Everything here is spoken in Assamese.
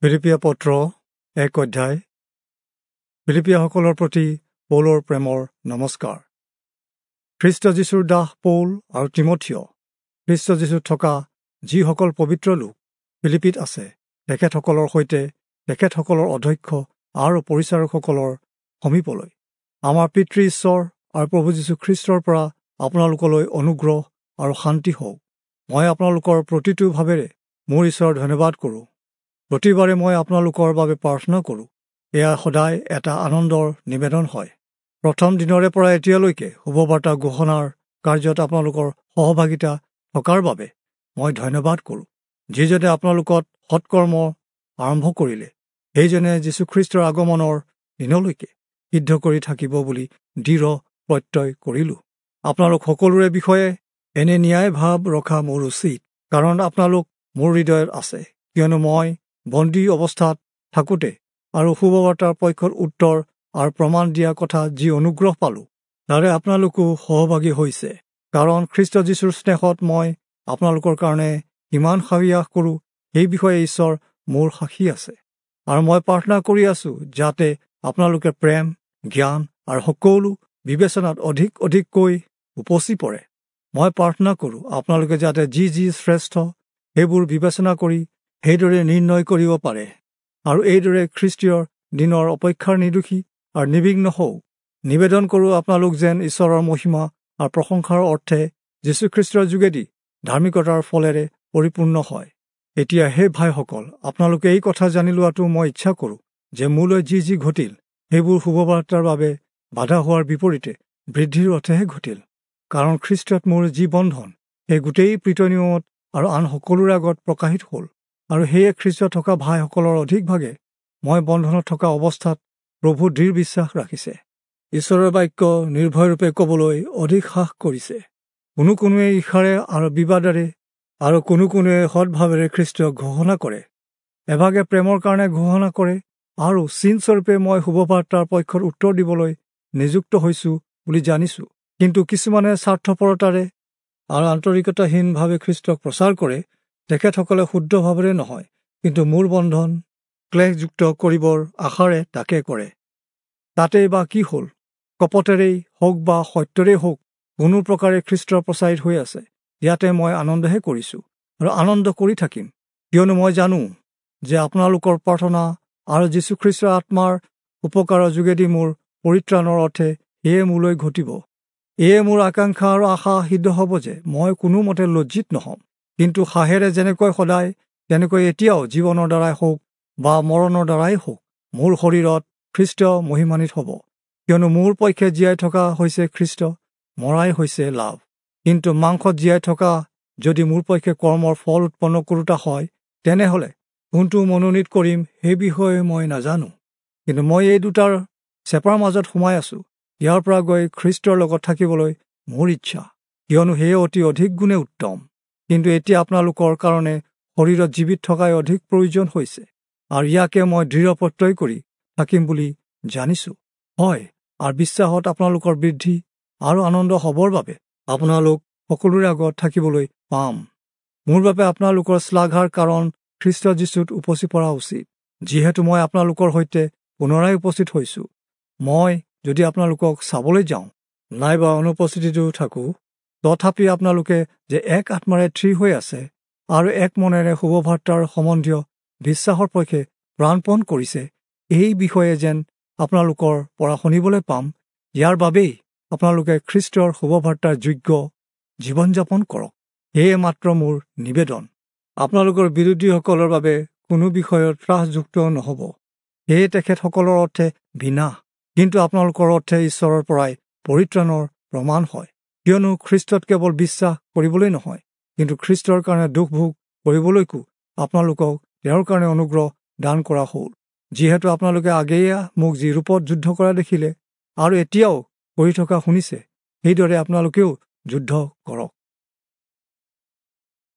ফিলিপিয়া পত্ৰ 1 অধ্যায়। ফিলিপিয়াসকলৰ প্ৰতি পৌলৰ প্ৰেমৰ নমস্কাৰ। খ্ৰীষ্ট যীশুৰ দাস পৌল আৰু তীমথিয়, খ্ৰীষ্ট যীশুত থকা যিসকল পবিত্ৰ লোক ফিলিপিত আছে, তেখেতসকলৰ সৈতে তেখেতসকলৰ অধ্যক্ষ আৰু পৰিচাৰকসকলৰ সমীপলৈ, আমাৰ পিতৃ ঈশ্বৰ আৰু প্ৰভু যীশু খ্ৰীষ্টৰ পৰা আপোনালোকলৈ অনুগ্ৰহ আৰু শান্তি হওক। মই আপোনালোকৰ প্ৰতিটো ভাৱেৰে মোৰ ঈশ্বৰৰ ধন্যবাদ কৰোঁ। প্ৰতিবাৰে মই আপোনালোকৰ বাবে প্ৰাৰ্থনা কৰোঁ। এয়া সদায় এটা আনন্দৰ নিবেদন হয়। প্ৰথম দিনৰে পৰা এতিয়ালৈকে শুভবাৰ্তা ঘোষণাৰ কাৰ্যত আপোনালোকৰ সহভাগিতা থকাৰ বাবে মই ধন্যবাদ কৰোঁ। যিজনে আপোনালোকত সৎকৰ্ম আৰম্ভ কৰিলে, সেইজনে যীশুখ্ৰীষ্টৰ আগমনৰ দিনলৈকে সিদ্ধ কৰি থাকিব বুলি দৃঢ় প্ৰত্যয় কৰিলোঁ। আপোনালোক সকলোৰে বিষয়ে এনে ন্যায় ভাৱ ৰখা মোৰ উচিত, কাৰণ আপোনালোক মোৰ হৃদয়ত আছে। কিয়নো মই বন্দী অৱস্থাত থাকোঁতে আৰু শুভবাৰ্তাৰ পক্ষত উত্তৰ আৰু প্ৰমাণ দিয়া কথা যি অনুগ্ৰহ পালোঁ, তাৰে আপোনালোকো সহভাগী হৈছে। কাৰণ খ্ৰীষ্ট যীশুৰ স্নেহত মই আপোনালোকৰ কাৰণে কিমান সাহস কৰোঁ, সেই বিষয়ে ঈশ্বৰ মোৰ সাক্ষী আছে। আৰু মই প্ৰাৰ্থনা কৰি আছোঁ যাতে আপোনালোকে প্ৰেম, জ্ঞান আৰু সকলো বিবেচনাত অধিক অধিককৈ উপচি পৰে। মই প্ৰাৰ্থনা কৰোঁ আপোনালোকে যাতে যি যি শ্ৰেষ্ঠ সেইবোৰ বিবেচনা কৰি সেইদৰে নিৰ্ণয় কৰিব পাৰে, আৰু এইদৰে খ্ৰীষ্টীয় দিনৰ অপেক্ষাৰ নিৰ্দোষী আৰু নিবিঘ্ন হওক। নিবেদন কৰোঁ আপোনালোক যেন ঈশ্বৰৰ মহিমা আৰু প্ৰশংসাৰ অৰ্থে যীশুখ্ৰীষ্টৰ যোগেদি ধাৰ্মিকতাৰ ফলেৰে পৰিপূৰ্ণ হয়। এতিয়া হে ভাইসকল, আপোনালোকে এই কথা জানি লোৱাটো মই ইচ্ছা কৰোঁ যে মোলৈ যি যি ঘটিল, সেইবোৰ শুভবাৰ্তাৰ বাবে বাধা হোৱাৰ বিপৰীতে বৃদ্ধিৰ অৰ্থেহে ঘটিল। কাৰণ খ্ৰীষ্টত মোৰ যি বন্ধন, সেই গোটেই প্ৰিতনিয়মত আৰু আন সকলোৰে আগত প্ৰকাশিত হ'ল। আৰু সেয়ে খ্ৰীষ্টত থকা ভাইসকলৰ অধিকভাগে মই বন্ধনত থকা অৱস্থাত প্ৰভু দৃঢ় বিশ্বাস ৰাখিছে, ঈশ্বৰৰ বাক্য নিৰ্ভয়ৰূপে ক'বলৈ অধিক সাহ কৰিছে। কোনো কোনোৱে ঈৰ্ষাৰে আৰু বিবাদেৰে আৰু কোনো কোনোৱে সৎভাৱেৰে খ্ৰীষ্টক ঘোষণা কৰে। এভাগে প্ৰেমৰ কাৰণে ঘোষণা কৰে, আৰু চিনস্বৰূপে মই শুভবাৰ্তাৰ পক্ষত উত্তৰ দিবলৈ নিযুক্ত হৈছোঁ বুলি জানিছোঁ। কিন্তু কিছুমানে স্বাৰ্থপৰতাৰে আৰু আন্তৰিকতাহীনভাৱে খ্ৰীষ্টক প্ৰচাৰ কৰে। তেখেতসকলে শুদ্ধ ভাৱেৰে নহয়, কিন্তু মোৰ বন্ধন ক্লেশযুক্ত কৰিবৰ আশাৰে তাকে কৰে। তাতেই বা কি হ'ল, কপটেৰেই হওক বা সত্যৰেই হওক, কোনো প্ৰকাৰে খ্ৰীষ্টৰ প্ৰচাৰিত হৈ আছে। ইয়াতে মই আনন্দহে কৰিছোঁ আৰু আনন্দ কৰি থাকিম। কিয়নো মই জানো যে আপোনালোকৰ প্ৰাৰ্থনা আৰু যীশুখ্ৰীষ্টৰ আত্মাৰ উপকাৰৰ যোগেদি মোৰ পৰিত্ৰাণৰ অৰ্থে সেয়ে মোলৈ ঘটিব। এয়ে মোৰ আকাংক্ষা আৰু আশা সিদ্ধ হ'ব যে মই কোনোমতে লজ্জিত নহ'ম, কিন্তু সাহেৰে যেনেকৈ সদায় তেনেকৈ এতিয়াও জীৱনৰ দ্বাৰাই হওক বা মৰণৰ দ্বাৰাই হওক, মোৰ শৰীৰত খ্ৰীষ্ট মহিমান্বিত হ'ব। কিয়নো মোৰ পক্ষে জীয়াই থকা হৈছে খ্ৰীষ্ট, মৰাই হৈছে লাভ। কিন্তু মাংসত জীয়াই থকা যদি মোৰ পক্ষে কৰ্মৰ ফল উৎপন্ন কৰোঁতা হয়, তেনেহ'লে কোনটো মনোনীত কৰিম সেই বিষয়ে মই নাজানো। কিন্তু মই এই দুটাৰ চেপাৰ মাজত সোমাই আছোঁ। ইয়াৰ পৰা গৈ খ্ৰীষ্টৰ লগত থাকিবলৈ মোৰ ইচ্ছা, কিয়নো সেয়ে অতি অধিক গুণে উত্তম। কিন্তু এতিয়া আপোনালোকৰ কাৰণে শৰীৰত জীৱিত থকাই অধিক প্ৰয়োজন হৈছে, আৰু ইয়াকে মই দৃঢ় প্ৰত্যয় কৰি থাকিম বুলি জানিছোঁ। হয়, আৰু বিশ্বাসত আপোনালোকৰ বৃদ্ধি আৰু আনন্দ হ'বৰ বাবে আপোনালোক সকলোৰে আগত থাকিবলৈ পাম। মোৰ বাবে আপোনালোকৰ শ্লাঘাৰ কাৰণ খ্ৰীষ্ট যীশুত উপচি পৰা উচিত। যিহেতু মই আপোনালোকৰ সৈতে পুনৰাই উপস্থিত হৈছোঁ, মই যদি আপোনালোকক চাবলৈ যাওঁ নাইবা অনুপস্থিতিতো থাকোঁ, তথাপি আপোনালোকে যে এক আত্মাৰে থিৰ হৈ আছে আৰু এক মনেৰে শুভবাৰ্তাৰ সম্বন্ধীয় বিশ্বাসৰ পক্ষে প্ৰাণপণ কৰিছে, এই বিষয়ে যেন আপোনালোকৰ পৰা শুনিবলৈ পাম, ইয়াৰ বাবেই আপোনালোকে খ্ৰীষ্টৰ শুভবাৰ্তাৰ যোগ্য জীৱন যাপন কৰক। সেয়ে মাত্ৰ মোৰ নিবেদন। আপোনালোকৰ বিৰোধীসকলৰ বাবে কোনো বিষয়ত ত্ৰাসযুক্ত নহ'ব। সেয়ে তেখেতসকলৰ অৰ্থে বিনাশ, কিন্তু আপোনালোকৰ অৰ্থে ঈশ্বৰৰ পৰাই পৰিত্ৰাণৰ প্ৰমাণ হয়। কিয়নো খ্ৰীষ্টত কেৱল বিশ্বাস কৰিবলৈ নহয়, কিন্তু খ্ৰীষ্টৰ কাৰণে দুখ ভোগ কৰিবলৈকো আপোনালোকক তেওঁৰ কাৰণে অনুগ্ৰহ দান কৰা হ'ল। যিহেতু আপোনালোকে আগেয়ে মোক যি ৰূপত যুদ্ধ কৰা দেখিলে আৰু এতিয়াও কৰি থকা শুনিছে, সেইদৰে আপোনালোকেও যুদ্ধ কৰক।